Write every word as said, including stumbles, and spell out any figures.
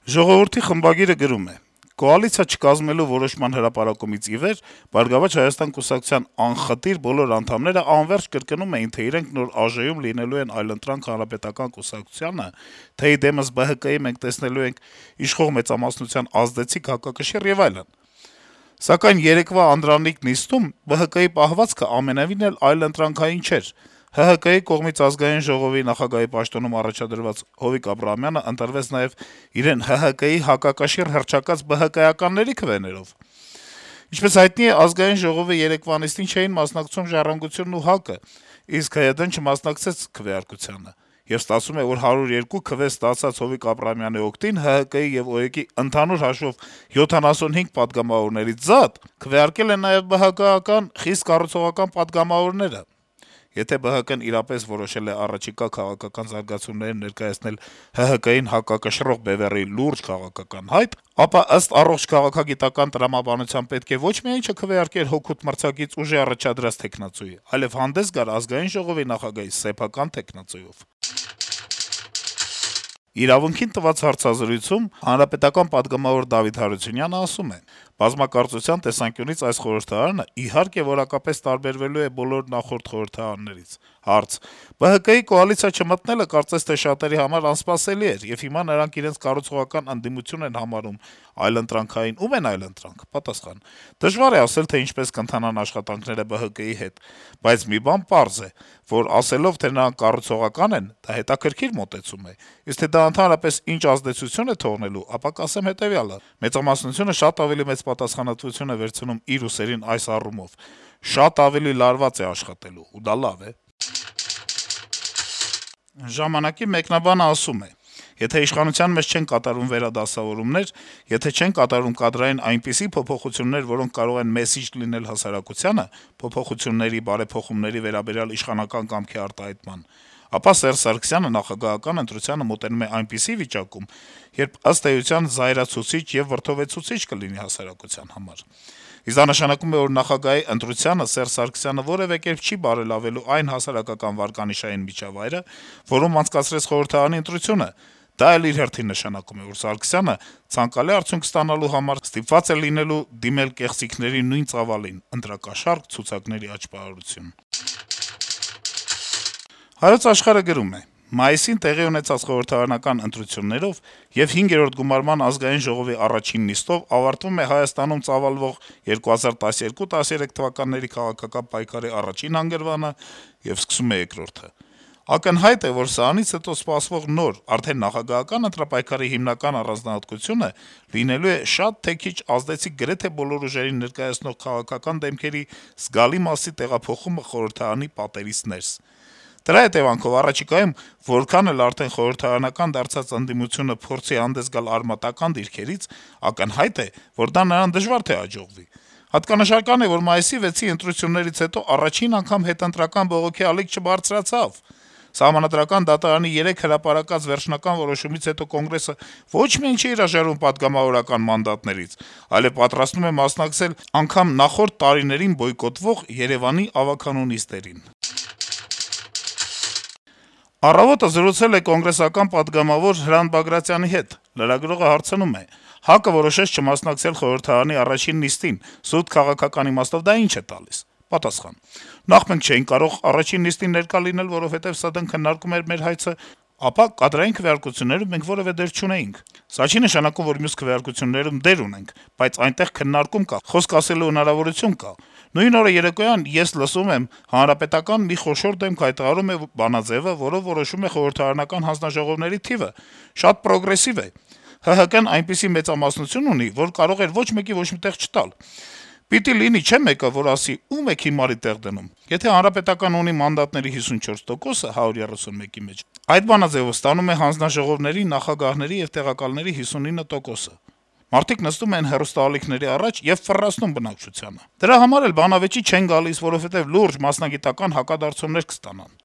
«Ժողովուրդ»-ի խմբագիրը գրում է. - «Կոալիցիա չկազմելու որոշման հրապարակումից ի վեր «Բարգավաճ Հայաստան» կուսակցության անխտիր բոլոր անդամները անվերջ կրկնում էին, թե իրենք նոր ԱԺ-ում լինելու են «Այլընտրանք» հանրապետական կուսակցությանը, թե ի դեմս ԲՀԿ-ի մենք տեսնելու ենք իշխող մեծամասնության ազդեցիկ հակակշիռ եւ այլն: Սակայն երեկվա անդրանիկ նիստում ԲՀԿ-ի պահվածքը ամենեւին էլ այլընտրանքային չէր: ՀՀԿ-ի կողմից Ազգային ժողովի նախագահի պաշտոնում առաջադրված Հովիկ Աբրահամյանը ընտրվեց նաեւ իրեն ՀՀԿ-ի հակակշիռ հռչակած ԲՀԿ-ականների քվեներով: Ինչպես հայտնի է, Ազգային ժողովի երեկվա նիստին չէին մասնակցում «Ժառանգությունն» ու ՀԱԿ-ը, իսկ ՀՅԴ-ն չմասնակցեց քվեարկությանը: Եվ ստացվում է, որ հարյուր երկու քվե ստացած Հովիկ Աբրահամյանի օգտին ՀՀԿ-ի եւ ՕԵԿ-ի ընդհանուր հաշվով յոթանասունհինգ պատգամավորներից զատ քվեարկել են նաեւ ԲՀԿ-ական խիստ կառուցողական պատգամավորները: Եթե ԲՀԿ-ն իրապես որոշել է առաջիկա քաղաքական զարգացումներին ներկայացնել ՀՀԿ-ին հակակշռող բեւեռի լուրջ քաղաքական հայտ, ապա ըստ առողջ քաղաքագիտական տրամաբանության պետք է ոչ միայն չքվեարկեր հօգուտ մրցակից ուժի առաջադրած թեկնածուի, այլեւ հանդես գար Ազգային ժողովի նախագահի սեփական թեկնածուով»: «Իրավունք»-ին տված հարցազրույցում պատգամավոր Դավիթ Հարությունյանը ասում է. - «Բազմակարծության տեսանկյունից այս խորհրդարանը, իհարկե, որակապես տարբերվելու է բոլոր նախորդ խորհրդարաններից»: Հարց. - «ԲՀԿ-ի կոալիցիա չմտնելը կարծես թե շատերի համար անսպասելի էր, եւ հիմա նրանք իրենց կառուցողական ընդդիմություն են համարում այլընտրանքային, ո՞ւմ են այլընտրանք»: Պատասխան. - «Դժվար է ասել, թե ինչպես կընթանան աշխատանքները ԲՀԿ-ի հետ, բայց մի բան պարզ է, որ ասելով, թե նրանք կառուցողական են, դա հետաքրքիր մոտեցում է, իսկ թե դա ընդհանրապես ինչ ազդեցություն է թողնելու, ապա կասեմ հետեւյալը. մեծամասնությունը շատ ավելի մեծ պատասխանատվություն է վերցնում իր ուսերին այս առումով. շատ ավելի լարված է աշխատելու, ու դա լավ է»: «Ժամանակ»-ի մեկնաբանը ասում է. - «Եթե իշխանության մեջ չեն կատարվում վերադասավորումներ, եթե չեն կատարվում կադրային այնպիսի փոփոխություններ, որոնք կարող են մեսիջ լինել հասարակությանը, փոփոխությունների, բարեփոխումների վերաբերյալ իշխանական կամքի արտահայտման, ապա Սերժ Սարգսյանը նախագահական ընտրությանը մոտենում է այնպիսի վիճակում, երբ ըստ էության զայրացուցիչ եւ վրդովեցուցիչ կլինի հասարակության համար: Իսկ դա նշանակում է, որ նախագահի ընտրությանը Սերժ Սարգսյանը որեւէ կերպ չի բարելավելու այն հասարակական վարկանիշային միջավայրը, որում անցկացրեց խորհրդարանի ընտրությունը: Դա էլ իր հերթին նշանակում է, որ Սարգսյանը ցանկալի արդյունք ստանալու համար ստիպված է լինելու դիմել կեղծիքների նույն ծավալին՝ ընտրակաշառք, ցուցակների աճպարարություն»: «Հայոց Աշխարհ»-ը գրում է. - «Մայիսին տեղի ունեցած խորհրդարանական ընտրություններով եւ հինգերորդ գումարման Ազգային ժողովի առաջին նիստով ավարտվում է Հայաստանում ծավալվող երկու հազար տասներկու տասներեք թվականների քաղաքական պայքարի առաջին հանգրվանը եւ սկսում է երկրորդը: Ակնհայտ է, որ սրանից հետո սպասվող նոր, արդեն նախագահական ընտրապայքարի հիմնական առանձնահատկությունը լինելու է շատ թե քիչ ազդեցիկ գրեթե բոլոր ուժերին ներկայացնող քաղաքական դեմքերի զգալի մասի տեղափոխումը խորհրդարանի պատերից ներս: Դրա հետեւանքով առաջիկայում որքան էլ արդեն խորհրդարանական դարձած ընդդիմությունը փորձի հանդես գալ արմատական դիրքերից, ակնհայտ է, որ դա նրան դժվար թե հաջողվի: Հատկանշական է, որ մայիսի վեցի ընտրություններից հետո առաջին անգամ հետընտրական բողոքի ալիք չբարձրացավ: Սահմանադրական դատարանի երեկ հրապարակած վերջնական որոշումից հետո Կոնգրեսը ոչ միայն չի հրաժարվում պատգամավորական մանդատներից, այլեւ պատրաստվում է մասնակցել անգամ նախորդ տարիներին բոյկոտվող Երեւանի ավագանու նիստերին»: «Առավոտ»-ը զրուցել է կոնգրեսական պատգամավոր Հրանտ Բագրատյանի հետ: Լրագրողը հարցնում է. - «ՀԱԿ-ը որոշեց չմասնակցել խորհրդարանի առաջին նիստին: Սուտ քաղաքական իմաստով դա ի՞նչ է տալիս»: Պատասխան. - «Նախ մենք չէինք կարող առաջին նիստին ներկա լինել, որովհետեւ ՍԴՆ քննարկում էր մեր հայցը, ապա կադրային քվեարկություններում մենք որեւէ դեր չունեինք: Սա չի նշանակում, որ մյուս քվեարկություններում դեր ունենք, բայց այնտեղ քննարկում կա, խոսք ասելու հնարավորություն կա: Նույն օրը երեկոյան ես լսում եմ, Հանրապետական մի խոշոր դեմք հայտարարում է բանաձեւը, որով որոշվում է խորհրդարանական հանձնաժողովների թիվը: Շատ պրոգրեսիվ է: ՀՀԿ-ն այնպիսի մեծամասնություն ունի, որ կարող էր ոչ մեկի ոչ մի տեղ չտալ: Պիտի լինի չէ մեկը, որ ասի՝ ո՞ւմ եք հիմարի տեղ դնում: Եթե Հանրապետականը ունի մանդատների հիսունչորս տոկոսը հարյուր երեսունմեկի մեջ, այդ բանաձեւով ստանում է հանձնաժողովների, նախագահների եւ տեղակալների հիսունինը տոկոսը: Մարդիկ նստում են հեռուստաալիքների առաջ եւ ֆռռացնում բնակչությանը: Դրա համար էլ բանավեճի չեն գալիս, որովհետեւ լուրջ մասնագիտական հակադարձումներ կստանան: